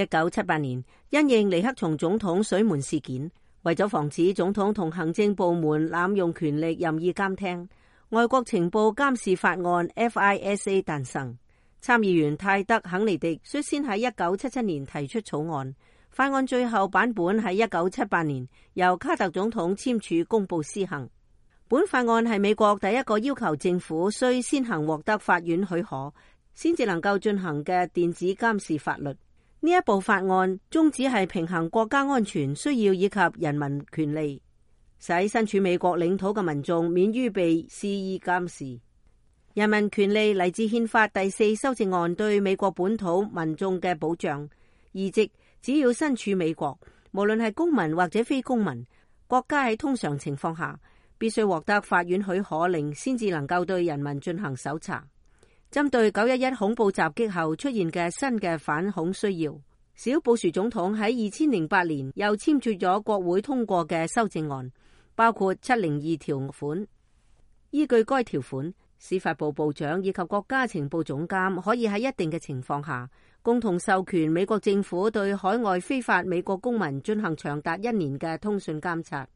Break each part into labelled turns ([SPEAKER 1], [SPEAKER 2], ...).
[SPEAKER 1] 1978年，因應尼克松總統水門事件，為咗防止總統同行政部門濫用權力任意監聽，外國情報監視法案 FISA 誕生。參議員泰德·肯尼迪率先喺1977年提出草案，法案最後版本喺1978年由卡特總統簽署公布施行。本法案係美國第一個要求政府需先行獲得法院許可，先至能夠進行嘅電子監視法律。呢一部法案宗旨係平衡國家安全需要以及人民權利，使身處美國領土嘅民眾免於被肆意監視。人民權利嚟自憲法第4修正案對美國本土民眾嘅保障，意即只要身處美國，無論係公民或者非公民，國家喺通常情況下必須獲得法院許可令，先至能夠對人民進行搜查。針對911恐怖襲擊後出現嘅新嘅反恐需要，小布殊總統喺2008年又簽署咗國會通過嘅修正案，包括702條款。依據該條款，司法部部長以及國家情報總監可以喺一定嘅情況下，共同授權美國政府對海外非法美國公民進行長達1年嘅通訊監察。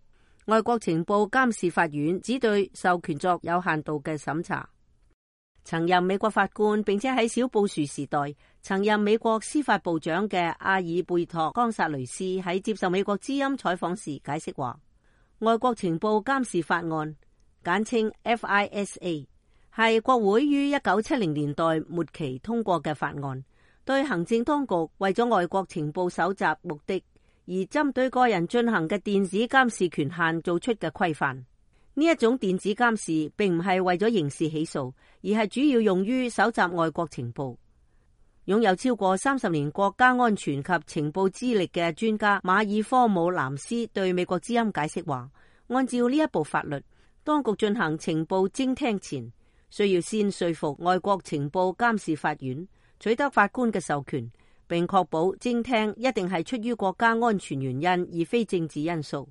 [SPEAKER 1] 外國情報監視法院只對授權作有限度嘅審查。曾任美國法官並且喺小布殊時代曾任美國司法部長嘅阿爾貝托·岡薩雷斯喺接受美國之音採訪時解釋話，外國情報監視法案簡稱 FISA 係國會於1970年代末期通過嘅法案，對行政當局為咗外國情報搜集目的而針對個人進行嘅電子監視權限做出嘅規範。呢一種電子監視並唔係為咗刑事起訴，而係主要用於搜集外國情報。擁有超過30年國家安全及情報資歷嘅專家馬爾科姆南斯對美國之音解釋話，按照呢一部法律，當局進行情報偵聽前，需要先說服外國情報監視法院取得法官嘅授權，並確保偵聽一定係出於國家安全原因，而非政治因素。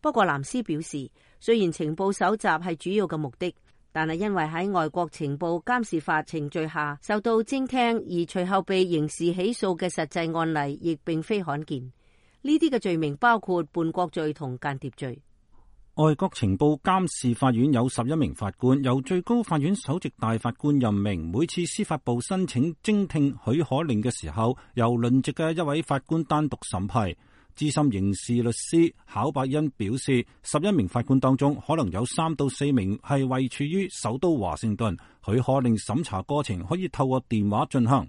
[SPEAKER 1] 不過藍斯表示，雖然情報搜集係主要嘅目的，但係因為喺外國情報監視法程序下受到偵聽而隨後被刑事起訴嘅實際案例亦並非罕見。呢啲嘅罪名包括叛國罪同間諜罪。
[SPEAKER 2] 外國情報監視法院有11名法官，由最高法院首席大法官任命。每次司法部申請偵聽許可令嘅時候，由輪值嘅一位法官單獨審批。資深刑事律師考伯恩表示，11名法官當中可能有3到4名係位處於首都華盛頓，許可令審查過程可以透過電話進行。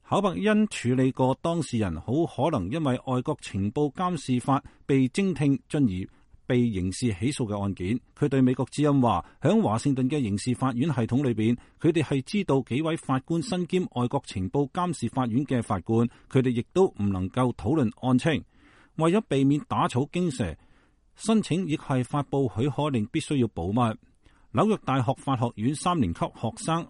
[SPEAKER 2] 考伯恩處理過當事人好可能因為外國情報監視法被偵聽進而被刑事起訴嘅案件。佢對美國之音話，響華盛頓嘅刑事法院系統裏邊，佢哋係知道幾位法官身兼外國情報監視法院嘅法官，佢哋亦都唔能夠討論案情。為咗避免打草驚蛇，申請亦係發布許可令必須要保密。紐約大學法學院3年級學生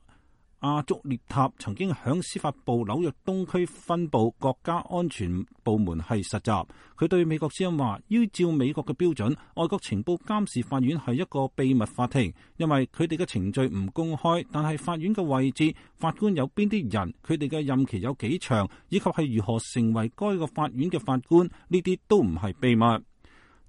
[SPEAKER 2] 阿足列塔曾經響司法部紐約東區分部國家安全部門係實習。佢對美國之音話，依照美國嘅標準，外國情報監視法院係一個秘密法庭，因為佢哋嘅程序唔公開，但係法院嘅位置、法官有邊啲人、佢哋嘅任期有幾長，以及係如何成為該個法院嘅法官，呢啲都唔係秘密。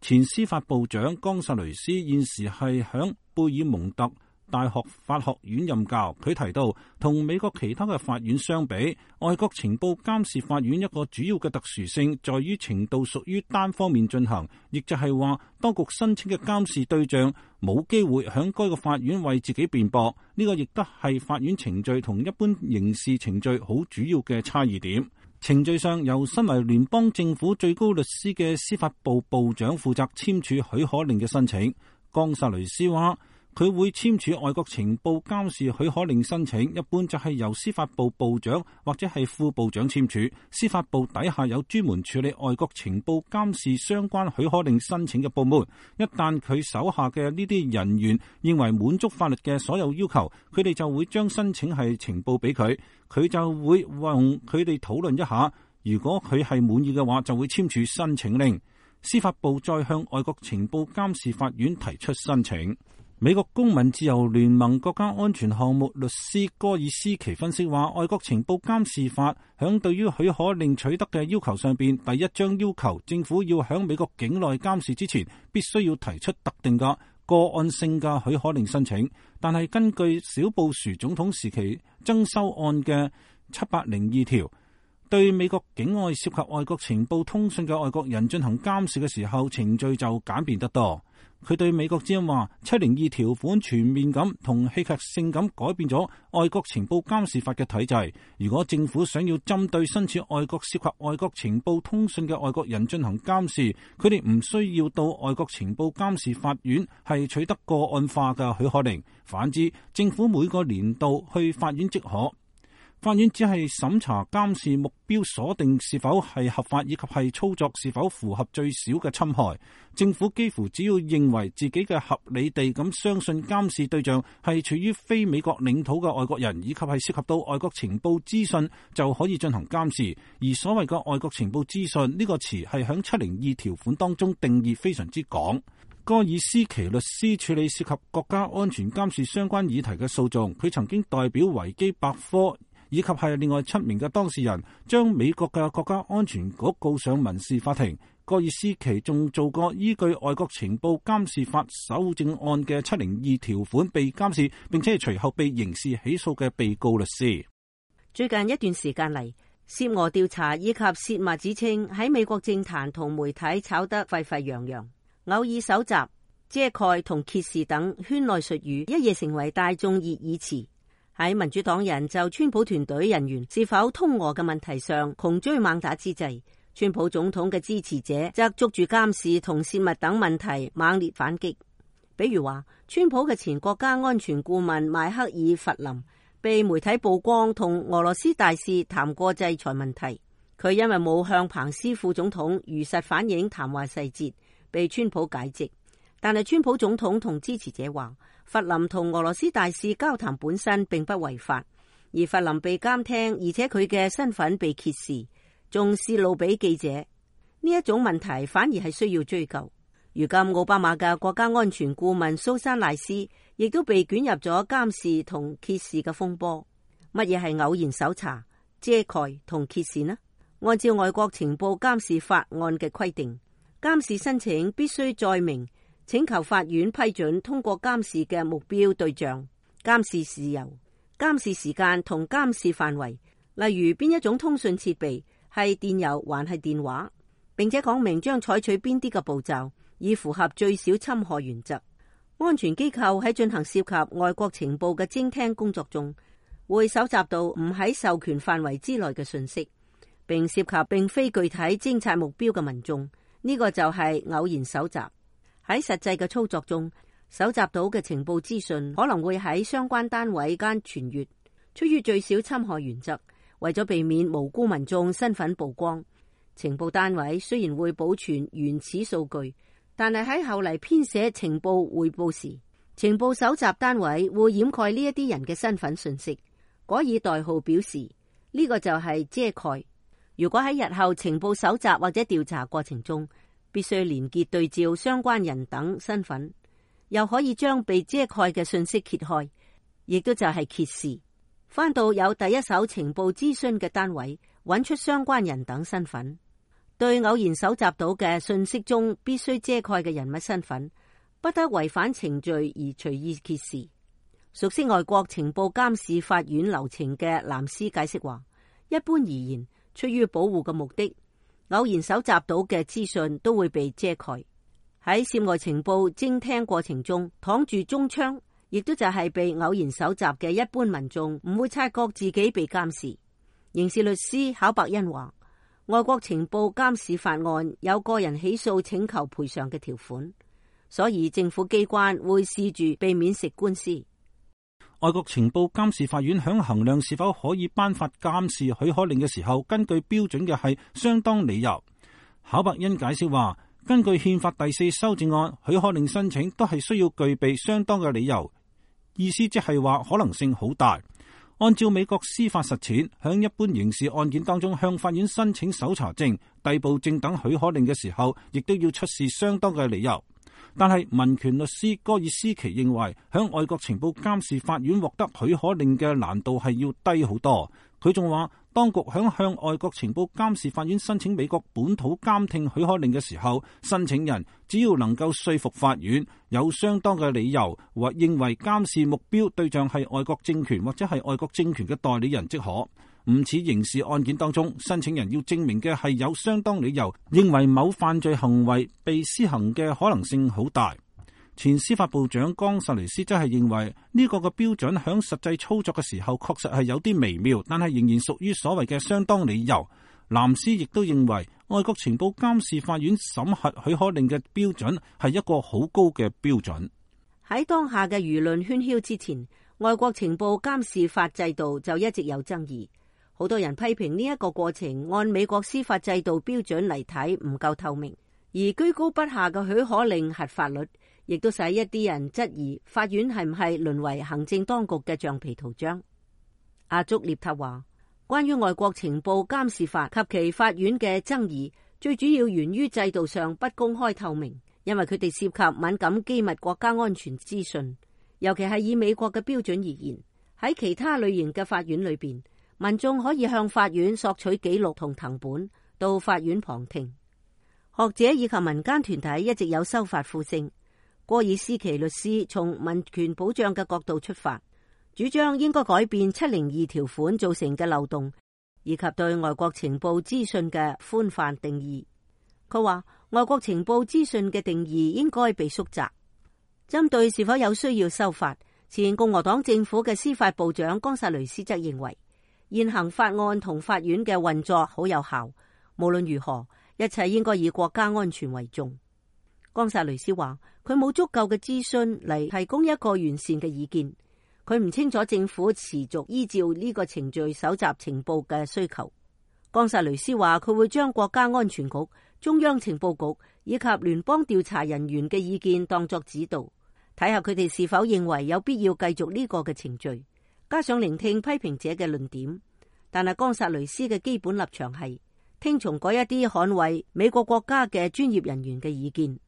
[SPEAKER 2] 前司法部長岡薩雷斯現時係響貝爾蒙特大學法學院任教。佢提到，同美國其他嘅法院相比，外國情報監視法院一個主要嘅特殊性在於程度屬於單方面進行，亦就係話，當局申請嘅監視對象冇機會響該個法院為自己辯駁。呢個亦都係法院程序同一般刑事程序好主要嘅差異點。程序上，由身為聯邦政府最高律師嘅司法部部長負責簽署許可令嘅申請。岡薩雷斯話，佢會簽署外國情報監視許可令申請，一般就係由司法部部長或者係副部長簽署。司法部底下有專門處理外國情報監視相關許可令申請嘅部門。一旦佢手下嘅呢啲人員認為滿足法律嘅所有要求，佢哋就會將申請係呈報俾佢，佢就會同佢哋討論一下。如果佢係滿意嘅話，就會簽署申請令。司法部再向外國情報監視法院提出申請。美國公民自由聯盟國家安全項目律師戈爾斯奇分析話，外國情報監視法響對於許可令取得嘅要求上邊，第一章要求政府要響美國境內監視之前，必須要提出特定嘅個案性嘅許可令申請。但係根據小布殊總統時期增修案嘅702條，對美國境外涉及外國情報通訊嘅外國人進行監視嘅時候，程序就簡便得多。佢對美國之音話，702條款全面咁同戲劇性咁改變咗外國情報監視法嘅體制。如果政府想要針對身處外國涉及外國情報通訊嘅外國人進行監視，佢哋唔需要到外國情報監視法院係取得個案化嘅許可令。反之，政府每個年度去法院即可。法院只係審查監視目標鎖定是否係合法，以及係操作是否符合最少嘅侵害。政府幾乎只要認為自己嘅合理地咁相信監視對象係處於非美國領土嘅外國人，以及係涉及到外國情報資訊，就可以進行監視。而所謂嘅外國情報資訊呢個詞係響702條款當中定義非常之廣。戈爾斯奇律師處理涉及國家安全監視相關議題嘅訴訟，佢曾經代表維基百科以及係另外7名嘅當事人，將美國嘅國家安全局告上民事法庭。戈爾斯奇仲做過依據外國情報監視法修正案嘅702條款被監視，並且係隨後被刑事起訴嘅被告律師。
[SPEAKER 1] 最近一段時間嚟，涉俄調查以及泄密指稱喺美國政壇同媒體炒得沸沸揚揚，偶爾搜集、遮蓋同揭示等圈內術語一夜成為大眾熱議詞。喺民主黨人就川普團隊人員是否通俄嘅問題上窮追猛打之際，川普總統嘅支持者則捉住監視同泄密等問題猛烈反擊。比如話，川普嘅前國家安全顧問邁克爾弗林被媒體曝光同俄羅斯大使談過制裁問題，佢因為冇向彭斯副總統如實反映談話細節，被川普解職。但係川普總統同支持者話，弗林同俄羅斯大使交談本身並不違法，而弗林被監聽，而且佢嘅身份被揭示，仲泄露俾記者，呢一種問題反而係需要追究。如今奧巴馬嘅國家安全顧問蘇珊賴斯亦都被捲入咗監視同揭示嘅風波。乜嘢係偶然搜查、遮蓋同揭示呢？按照外國情報監視法案嘅規定，監視申請必須載明請求法院批准通過監視嘅目標對象、監視事由、監視時間同監視範圍，例如邊一種通訊設備係電郵還係電話，並且講明將採取邊啲嘅步驟，以符合最少侵害原則。安全機構喺進行涉及外國情報嘅偵聽工作中，會搜集到唔喺授權範圍之內嘅信息，並涉及並非具體偵察目標嘅民眾，呢個就係偶然搜集。喺實際嘅操作中，搜集到嘅情報資訊可能會喺相關單位間傳閱。出於最少侵害原則，為咗避免無辜民眾身份曝光，情報單位雖然會保存原始數據，但係喺後嚟編寫情報匯報時，情報搜集單位會掩蓋呢一啲人嘅身份信息，改以代號表示，呢個就係遮蓋。如果喺日後情報搜集或者調查過程中，必須連結對照相關人等身份，又可以將被遮蓋嘅信息揭開，亦都就係揭示。翻到有第一手情報諮詢嘅單位，揾出相關人等身份。對偶然搜集到嘅信息中必須遮蓋嘅人物身份，不得違反程序而隨意揭示。熟悉外國情報監視法院流程嘅藍斯解釋話，一般而言，出於保護嘅目的，偶然搜集到嘅資訊都會被遮蓋。喺涉外情報偵聽過程中，躺住中槍，亦都就係被偶然搜集嘅一般民眾唔會察覺自己被監視。刑事律師考伯恩話，外國情報監視法案有個人起訴請求賠償嘅條款，所以政府機關會試住避免食官司。
[SPEAKER 2] 外國情報監視法院響衡量是否可以頒發監視許可令嘅時候，根據標準嘅係相當理由。考伯恩解釋話，根據憲法第4修正案，許可令申請都係需要具備相當嘅理由，意思即係話可能性好大。按照美國司法實踐，響一般刑事案件當中向法院申請搜查證、逮捕證等許可令嘅時候，亦都要出示相當嘅理由。但係民權律師戈爾斯奇認為，響外國情報監視法院獲得許可令嘅難度係要低好多。佢仲話，當局響向外國情報監視法院申請美國本土監聽許可令嘅時候，申請人只要能夠說服法院有相當嘅理由或認為監視目標對象係外國政權或者係外國政權嘅代理人即可。唔似刑事案件當中，申請人要證明嘅係有相當理由認為某犯罪行為被施行嘅可能性好大。前司法部長岡薩雷斯則係認為呢個嘅標準響實際操作嘅時候確實係有啲微妙，但係仍然屬於所謂嘅相當理由。藍斯亦都認為外國情報監視法院審核許可令嘅標準係一個好高嘅標準。
[SPEAKER 1] 喺當下嘅輿論喧囂之前，外國情報監視法制度就一直有爭議。好多人批評呢一個過程按美國司法制度標準嚟睇唔夠透明，而居高不下嘅許可令核法率，亦都使一啲人質疑法院係唔係淪為行政當局嘅橡皮圖章。阿竹列塔話，關於外國情報監視法及其法院嘅爭議，最主要源於制度上不公開透明，因為佢哋涉及敏感機密國家安全資訊，尤其係以美國嘅標準而言，喺其他類型嘅法院裏邊，民眾可以向法院索取記錄同謄本，到法院旁聽。學者以及民間團體一直有修法呼聲。戈爾斯奇律師從民權保障嘅角度出發，主張應該改變702條款造成嘅漏洞，以及對外國情報資訊嘅寬泛定義。佢話，外國情報資訊嘅定義應該被縮窄。針對是否有需要修法，前共和黨政府嘅司法部長岡薩雷斯則認為，現行法案同法院嘅運作好有效，無論如何，一切應該以國家安全為重。岡薩雷斯話，佢冇足夠嘅諮詢嚟提供一個完善嘅意見，佢唔清楚政府持續依照呢個程序搜集情報嘅需求。岡薩雷斯話，佢會將國家安全局、中央情報局以及聯邦調查人員嘅意見當作指導，睇下佢哋是否認為有必要繼續呢個嘅程序，加上聆聽批評者嘅論點。但係岡薩雷斯嘅基本立場係聽從嗰一啲捍衛美國國家嘅專業人員嘅意見。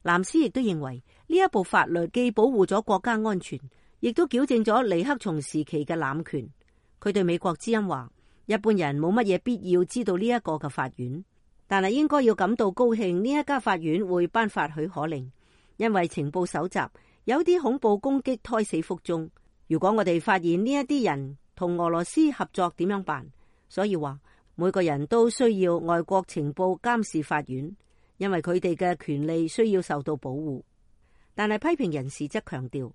[SPEAKER 1] 藍斯亦都認為呢一部法律既保護咗國家安全，亦都矯正咗尼克松時期嘅濫權。佢對美國之音話，一般人冇乜嘢必要知道呢一個嘅法院，但係應該要感到高興呢一家法院會頒發許可令，因為情報搜集有啲恐怖攻擊胎死腹中。如果我哋發現呢一啲人同俄羅斯合作點樣辦？所以話每個人都需要外國情報監視法院，因為佢哋嘅權利需要受到保護。但係批評人士則強調，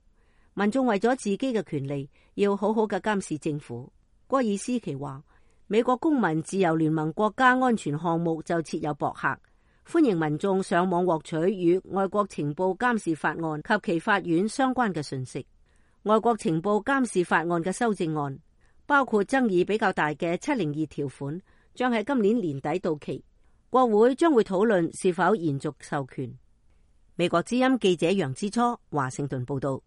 [SPEAKER 1] 民眾為咗自己嘅權利要好好嘅監視政府。戈爾斯奇話，美國公民自由聯盟國家安全項目就設有博客，歡迎民眾上網獲取與外國情報監視法案及其法院相關嘅信息。外國情報監視法案嘅修正案包括爭議比較大嘅702條款，將喺今年年底到期。國會將會討論是否延續授權。美國之音記者楊之初華盛頓報道。